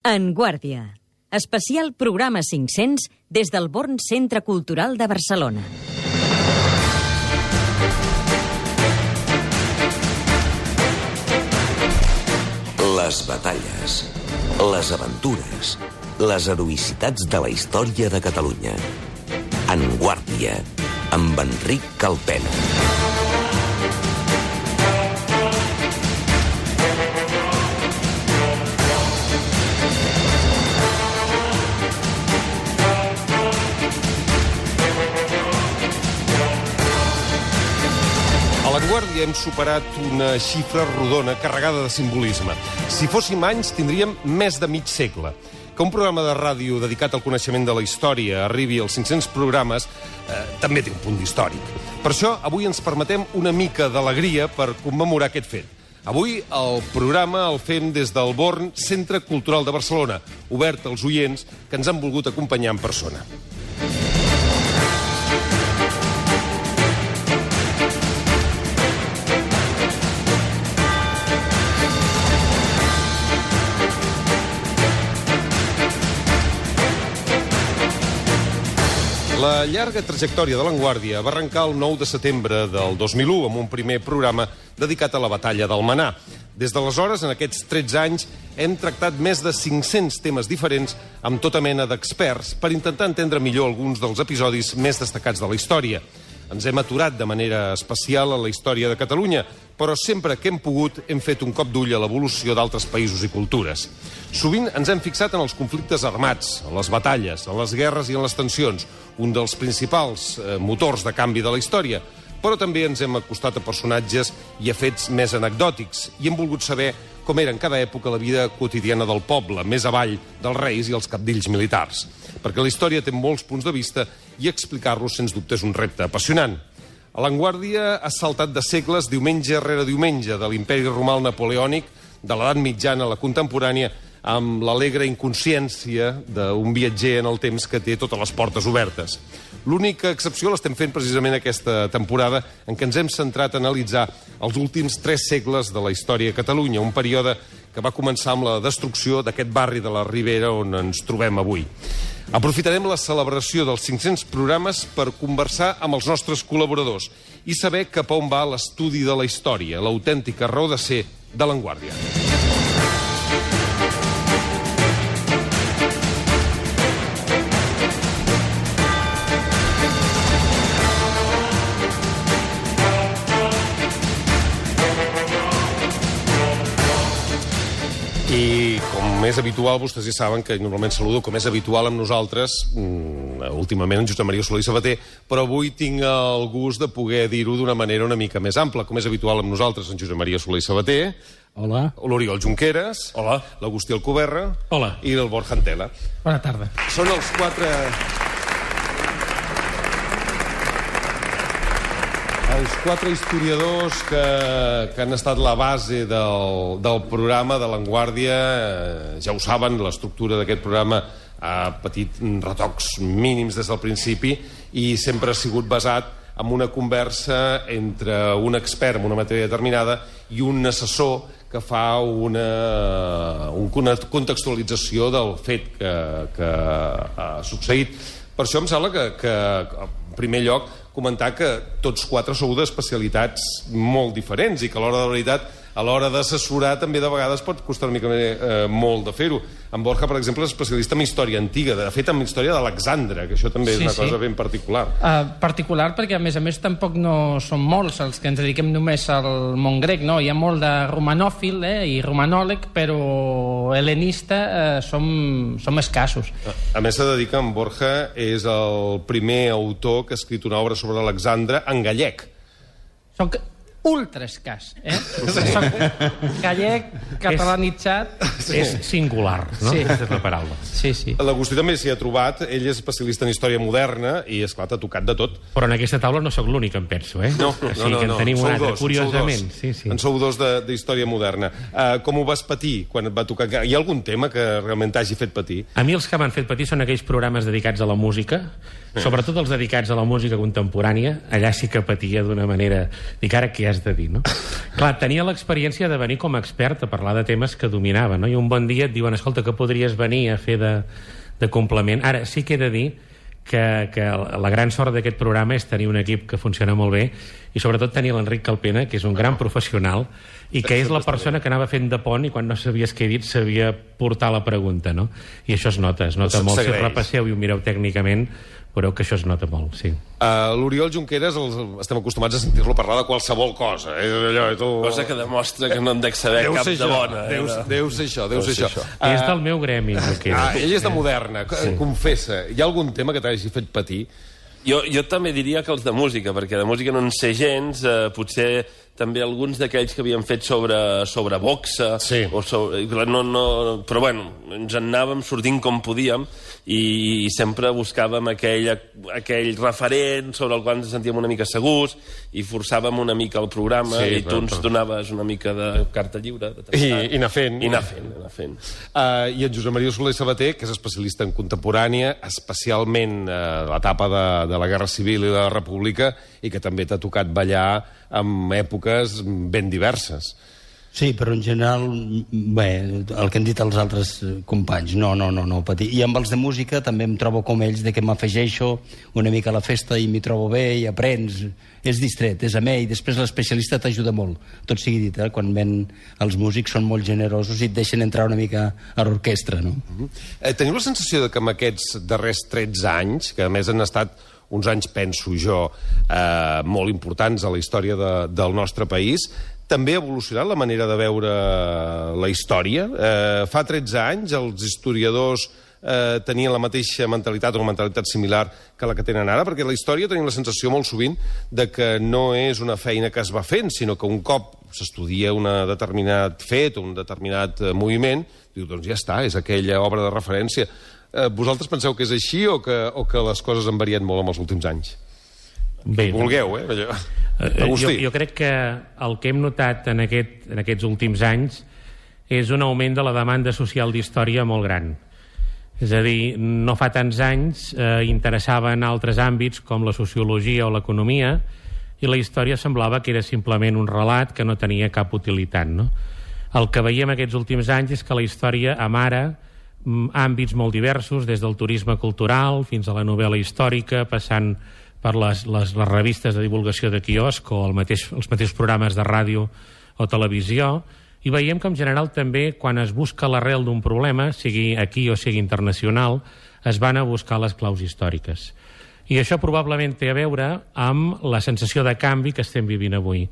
En Guàrdia. Especial programa 500 des del Born Centre Cultural de Barcelona. Les batalles, les aventures, les heroïcitats de la història de Catalunya. En Guàrdia, amb Enric Calpena. A La Guàrdia hem superat una xifra rodona carregada de simbolisme. Si fóssim anys, tindríem més de mig segle. Que un programa de ràdio dedicat al coneixement de la història arribi als 500 programes també té un punt històric. Per això, avui ens permetem una mica d'alegria per commemorar aquest fet. Avui el programa el fem des del Born Centre Cultural de Barcelona, obert als oients que ens han volgut acompanyar en persona. La llarga trajectòria de La Guàrdia va arrencar el 9 de setembre del 2001 amb un primer programa dedicat a la batalla d'Almenar. Des d'aleshores, en aquests 13 anys, hem tractat més de 500 temes diferents amb tota mena d'experts per intentar entendre millor alguns dels episodis més destacats de la història. Ens hem aturat de manera especial a la història de Catalunya, però sempre que hem pogut hem fet un cop d'ull a l'evolució d'altres països i cultures. Sovint ens hem fixat en els conflictes armats, en les batalles, en les guerres i en les tensions, un dels principals motors de canvi de la història, però també ens hem acostat a personatges i a fets més anecdòtics i hem volgut saber com era en cada època la vida quotidiana del poble, més avall dels reis i els cabdills militars. Perquè la història té molts punts de vista i explicar-los, sens dubte, és un repte apassionant. A La Guàrdia ha saltat de segles diumenge rere diumenge, de l'imperi romà al napoleònic, de l'edat mitjana a la contemporània, amb l'alegre inconsciència d'un viatger en el temps que té totes les portes obertes. L'única excepció l'estem fent precisament aquesta temporada en què ens hem centrat a analitzar els últims 3 segles de la història de Catalunya, un període que va començar amb la destrucció d'aquest barri de la Ribera on ens trobem avui. Aprofitarem la celebració dels 500 programes per conversar amb els nostres col·laboradors i saber cap a on va l'estudi de la història, l'autèntica raó de ser de La Guàrdia. I com és habitual, vostès ja saben que normalment saludo, com és habitual amb nosaltres, últimament en Josep Maria Soler i Sabater, però avui tinc el gust de poder dir-ho d'una manera una mica més ampla. Com és habitual amb nosaltres en Josep Maria Soler i Sabater, hola. L'Oriol Junqueras, hola. L'Agustí Alcoberra, hola. I el Borja Antela. Bona tarda. Són els 4... Els 4 historiadors que han estat la base del programa de La Guàrdia, ja ho saben, l'estructura d'aquest programa ha patit retocs mínims des del principi i sempre ha sigut basat en una conversa entre un expert en una matèria determinada i un assessor que fa una contextualització del fet que ha succeït. Per això em sembla que en primer lloc, comentar que tots 4 sou d'especialitats molt diferents i que a l'hora de la veritat, a l'hora d'assessorar també de vegades pot costar una mica molt de fer-ho. En Borja, per exemple, és especialista en història antiga, de fet en història d'Alexandre, que això també és una cosa ben particular. Particular perquè, a més, tampoc no són molts els que ens dediquem només al món grec, no? Hi ha molt de romanòfil i romanòleg, però helenista som escassos. A més, s'ha de dir que en Borja és el primer autor que ha escrit una obra sobre Alexandre en gallec. Soc ultra escàs, Soc gallec, catalanitzat... És singular, no? Sí. Aquesta és la paraula. Sí. L'Agustí també s'hi ha trobat, ell és especialista en història moderna i, esclar, t'ha tocat de tot. Però en aquesta taula no sóc l'únic, em penso, No. O sigui que en tenim un altre, curiosament. En sou dos d'història moderna. Com ho vas patir quan et va tocar? Hi ha algun tema que realment t'hagi fet patir? A mi els que m'han fet patir són aquells programes dedicats a la música, sobretot els dedicats a la música contemporània. Allà sí que patia d'una manera... Dic ara que has de dir, no? Clar, tenia l'experiència de venir com a expert a parlar de temes que dominava, no? I un bon dia et diuen, escolta, que podries venir a fer de complement. Ara, sí que he de dir que la gran sort d'aquest programa és tenir un equip que funciona molt bé i sobretot tenir l'Enric Calpena, que és un gran professional i que és la persona que anava fent de pont i quan no sabies què he dit sabia portar la pregunta, no? I això es nota molt. Si repasseu i ho mireu tècnicament, veureu que això es nota molt, sí. L'Oriol Junqueras estem acostumats a sentir-lo parlar de qualsevol cosa. Cosa que demostra que no en dec saber cap de bona. Deu ser això. És del meu gremi, Junqueras. Ell és de Moderna, confessa. Hi ha algun tema que t'hagi fet patir? Jo també diria que els de música, perquè de música no en sé gens, potser també alguns d'aquells que havien fet sobre boxa, però bueno, ens en anàvem sortint com podíem i sempre buscàvem aquell referent sobre el qual ens sentíem una mica segurs i forçàvem una mica el programa i tu ens donaves una mica de carta lliure. I anar fent. I anar fent. I en Josep Maria Soler Sabater, que és especialista en contemporània, especialment l'etapa de la Guerra Civil i de la República, i que també t'ha tocat ballar en èpoques ben diverses. Sí, però en general, bé, el que han dit els altres companys, no patir. I amb els de música també em trobo com ells, de que m'afegeixo una mica a la festa i m'hi trobo bé i aprens. És distret, és amè, i després l'especialista t'ajuda molt. Tot sigui dit, quan ven els músics són molt generosos i et deixen entrar una mica a l'orquestra, no? Teniu la sensació que amb aquests darrers 13 anys, que a més han estat uns anys, penso jo, molt importants a la història del nostre país, també ha evolucionat la manera de veure la història? Fa 13 anys els historiadors tenien la mateixa mentalitat o una mentalitat similar que la que tenen ara, perquè la història tenim la sensació molt sovint de que no és una feina que es va fent, sinó que un cop s'estudia un determinat fet o un determinat moviment, diu, doncs ja està, és aquella obra de referència. Vosaltres penseu que és així o que les coses han variat molt en els últims anys? Bé, vulgueu, jo crec que el que hem notat en aquests últims anys és un augment de la demanda social d'història molt gran. És a dir, no fa tants anys interessava en altres àmbits com la sociologia o l'economia i la història semblava que era simplement un relat que no tenia cap utilitat, no? El que veiem aquests últims anys és que la història amara àmbits molt diversos, des del turisme cultural fins a la novel·la històrica, passant per les revistes de divulgació de quiosc o els mateixos programes de ràdio o televisió, i veiem que en general també quan es busca l'arrel d'un problema, sigui aquí o sigui internacional, es van a buscar les claus històriques. I això probablement té a veure amb la sensació de canvi que estem vivint avui.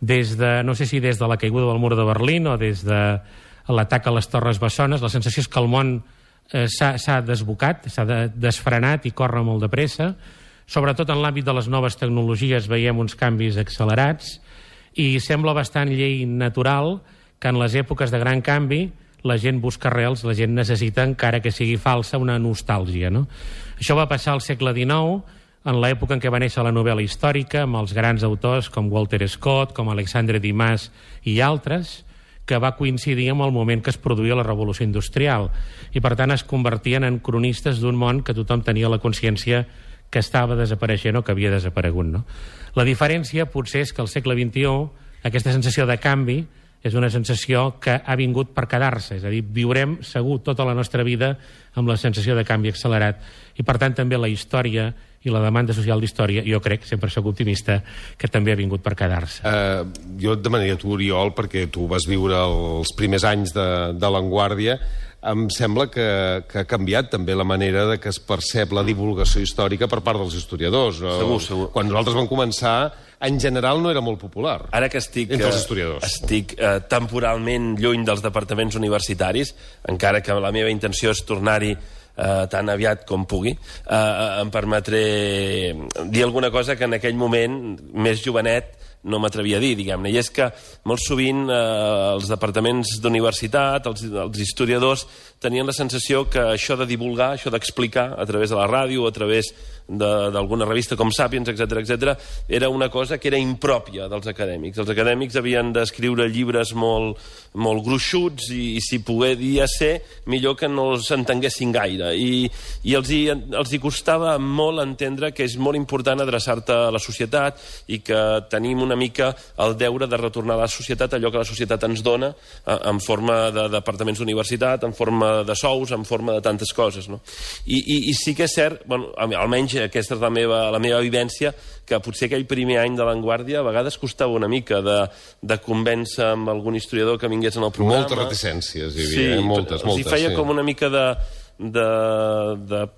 No sé si des de la caiguda del mur de Berlín o des de l'atac a les Torres Bessones, la sensació és que el món s'ha desbocat, s'ha desfrenat i corre molt de pressa. Sobretot en l'àmbit de les noves tecnologies veiem uns canvis accelerats i sembla bastant llei natural que en les èpoques de gran canvi la gent busca arrels, la gent necessita, encara que sigui falsa, una nostàlgia, no? Això va passar al segle XIX, en l'època en què va néixer la novel·la històrica, amb els grans autors com Walter Scott, com Alexandre Dumas i altres, que va coincidir amb el moment que es produïa la Revolució Industrial. I, per tant, es convertien en cronistes d'un món que tothom tenia la consciència que estava desapareixent o que havia desaparegut, no? La diferència potser és que al segle XXI aquesta sensació de canvi és una sensació que ha vingut per quedar-se, és a dir, viurem segur tota la nostra vida amb la sensació de canvi accelerat i per tant també la història i la demanda social d'història, jo crec, sempre soc optimista, que també ha vingut per quedar-se. Jo et demanaria a tu, Oriol, perquè tu vas viure els primers anys de l'Avantguàrdia, em sembla que ha canviat també la manera de que es percep la divulgació històrica per part dels historiadors. Segur. Quan nosaltres vam començar, en general no era molt popular. Ara que estic temporalment lluny dels departaments universitaris, encara que la meva intenció és tornar-hi tan aviat com pugui, em permetré dir alguna cosa que en aquell moment, més jovenet, no m'atrevia a dir, diguem-ne. I és que molt sovint els departaments d'universitat, els historiadors, tenien la sensació que això de divulgar, això d'explicar a través de la ràdio, a través d'alguna revista com Sapiens, etc., era una cosa que era impròpia dels acadèmics. Els acadèmics havien d'escriure llibres molt gruixuts i si podia ser, millor que no s'entenguessin gaire. I els hi costava molt entendre que és molt important adreçar-te a la societat i que tenim una una mica el deure de retornar a la societat allò que la societat ens dona en forma de departaments d'universitat, en forma de sous, en forma de tantes coses, no? I sí que és cert, bueno, almenys aquesta és la meva vivència, que potser aquell primer any de l'Avantguàrdia a vegades costava una mica de convèncer amb algun historiador que vingués en el programa. Moltes reticències hi havia, moltes. Els hi feia com una mica de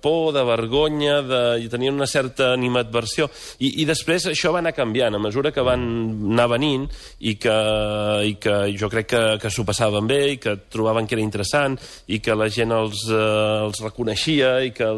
por, de vergonya, i tenien una certa animadversió. I després això va anar canviant a mesura que van anar venint i que jo crec que s'ho passaven bé i que trobaven que era interessant i que la gent els reconeixia i que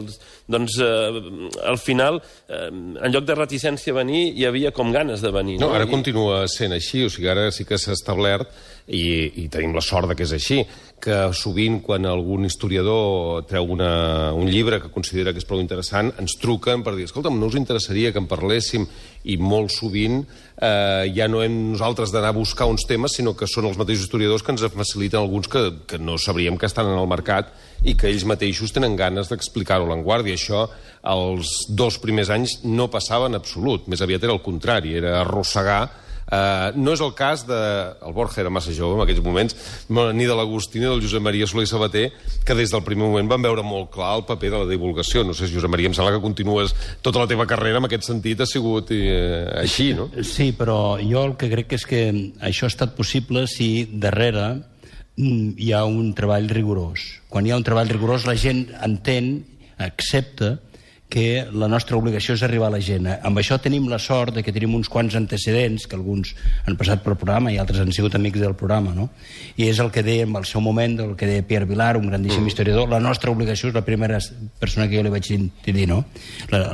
doncs al final en lloc de reticència a venir hi havia com ganes de venir. No, ara continua sent així, o sigui, ara sí que s'ha establert i tenim la sort que és així, que sovint quan algun historiador treu un llibre que considera que és prou interessant, ens truquen per dir, escolta'm, no us interessaria que en parléssim? I molt sovint ja no hem nosaltres d'anar a buscar uns temes, sinó que són els mateixos historiadors que ens faciliten alguns que no sabríem que estan en el mercat i que ells mateixos tenen ganes d'explicar-ho a l'Avantguàrdia. Això els 2 primers anys no passava en absolut, més aviat era el contrari, era arrossegar. No és el cas el Borja era massa jove en aquells moments, ni de l'Agustí ni del Josep Maria Soler i Sabater, que des del primer moment van veure molt clar el paper de la divulgació. No sé, Josep Maria, em sembla que continues tota la teva carrera en aquest sentit, ha sigut així, no? Sí, però jo el que crec és que això ha estat possible si darrere hi ha un treball rigorós. Quan hi ha un treball rigorós la gent entén, accepta que la nostra obligació és arribar a la gent. Amb això tenim la sort de que tenim uns quants antecedents, que alguns han passat pel programa i altres han sigut amics del programa, no? I és el que deia en el seu moment, el que deia Pierre Vilar, un grandíssim historiador, la nostra obligació, és la primera persona que jo li vaig dir, no?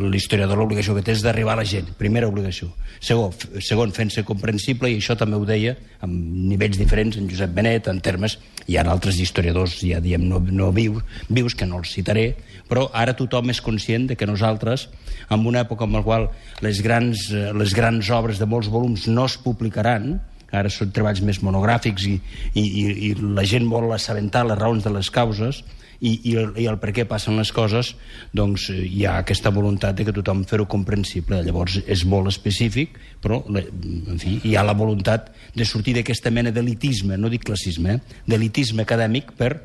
L'historiador, l'obligació que té és d'arribar a la gent, primera obligació. Segon, fent-se comprensible, i això també ho deia, amb nivells diferents, en Josep Benet, en termes, hi ha altres historiadors, ja diem, no vius, que no els citaré, però ara tothom és conscient de que nosaltres, en una època en la qual les grans obres de molts volums no es publicaran, ara són treballs més monogràfics i la gent vol assabentar les raons de les causes i el per què passen les coses, doncs hi ha aquesta voluntat de que tothom fer-ho comprensible. Llavors és molt específic, però en fi, hi ha la voluntat de sortir d'aquesta mena d'elitisme, no dic classisme, d'elitisme acadèmic per,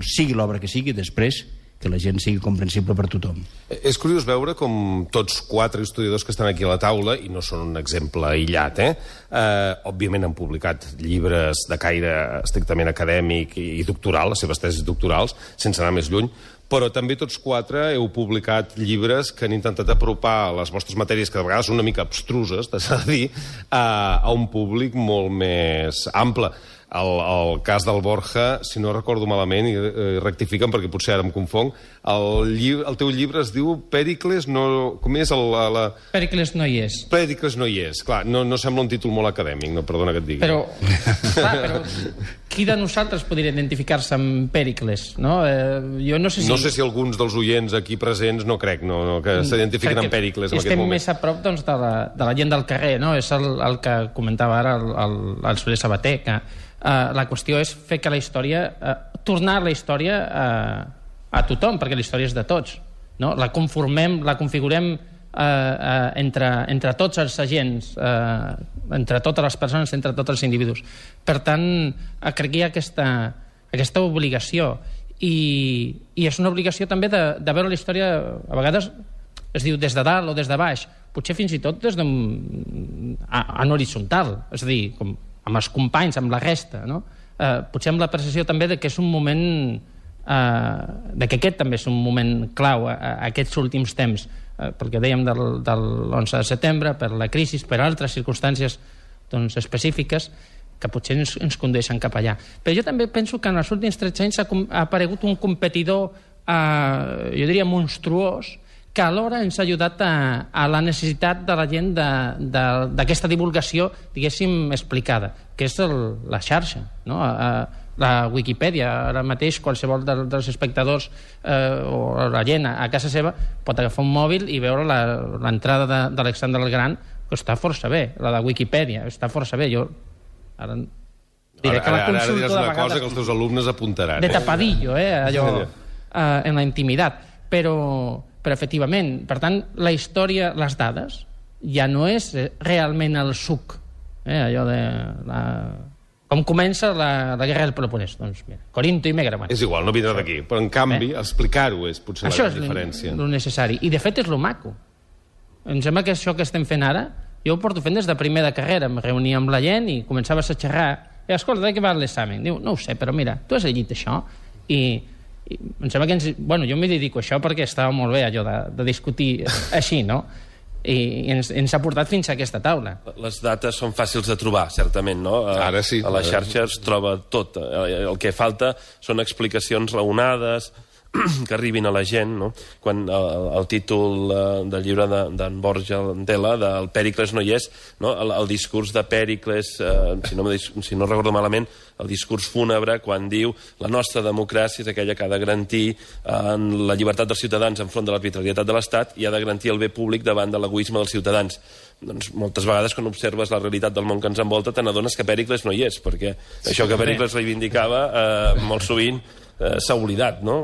sigui l'obra que sigui, després que la gent sigui comprensible per tothom. És curiós veure com tots 4 historiadors que estan aquí a la taula, i no són un exemple aïllat, òbviament han publicat llibres de caire estrictament acadèmic i doctoral, les seves tesis doctorals, sense anar més lluny, però també tots 4 heu publicat llibres que han intentat apropar les vostres matèries, que de vegades són una mica abstruses, t'has de dir, a un públic molt més ample. El cas del Borja, si no recordo malament, i rectifiquen perquè potser ara em confonc, el teu llibre es diu Pèricles no... Com és? Pèricles no hi és. Pèricles no hi és. Clar, no sembla un títol molt acadèmic, no, perdona que et digui. Però qui de nosaltres podria identificar-se amb Pèricles? No? Jo no sé si... No sé si alguns dels oients aquí presents no crec que s'identifiquen amb Pèricles en aquest moment. Estem més a prop doncs, de la gent del carrer, no? És el que comentava ara el Soler Sabater, que la qüestió és fer que la història, tornar la història a tothom, perquè la història és de tots, no? La conformem, la configurem entre tots els agents, entre totes les persones, entre tots els individus. Per tant, crec que hi ha aquesta obligació, i és una obligació també de veure la història, a vegades es diu des de dalt o des de baix, potser fins i tot des en horitzontal, és a dir, com amb els companys, amb la resta, no? Potser amb la percepció també de que és un moment de que aquest també és un moment clau aquests últims temps, pel que dèiem del 11 de setembre, per la crisi, per altres circumstàncies doncs, específiques que potser ens condueixen cap allà. Però jo també penso que en els últims 13 anys ha aparegut un competidor, jo diria monstruós, que alhora ens ha ajudat a la necessitat de la gent d'aquesta divulgació, diguéssim, explicada, que és la xarxa, no? La Wikipedia. Ara mateix qualsevol dels espectadors o la gent a casa seva pot agafar un mòbil i veure l'entrada d'Alexandre el Gran, que està força bé, la de Wikipedia, està força bé. Jo ara diré que la consulto de vegades... Ara diràs una cosa que els teus alumnes apuntaran. De tapadillo, allò, en la intimitat. Però efectivament, per tant, la història, les dades, ja no és realment el suc allò de... Com comença la guerra del Peloponès? Doncs mira, Corinto i Megaman. És igual, no vindrà d'aquí. Però, en canvi, explicar-ho és potser la gran diferència. Això és el necessari. I, de fet, és el maco. Em sembla que això que estem fent ara, jo ho porto fent des de primer de carrera. Em reunia amb la gent i començaves a xerrar. I, escolta, de què va l'examen? Diu, no ho sé, però mira, tu has llegit això? I em sembla que bueno, jo m'hi dedico a això perquè estava molt bé allò de discutir així, no? I ens ha portat fins a aquesta taula. Les dates són fàcils de trobar, certament, no? Ara sí. A la xarxa es troba tot. El que falta són explicacions raonades que arribin a la gent, no? Quan el títol del llibre d'en Borja Antela, del Pèricles no hi és, no? El discurs de Pèricles, si no recordo malament, el discurs fúnebre, quan diu la nostra democràcia és aquella que ha de garantir la llibertat dels ciutadans enfront de l'arbitrarietat de l'Estat i ha de garantir el bé públic davant de l'egoisme dels ciutadans. Doncs moltes vegades, quan observes la realitat del món que ens envolta, te n'adones que Pèricles no hi és, perquè això que Pèricles reivindicava molt sovint s'ha oblidat, no?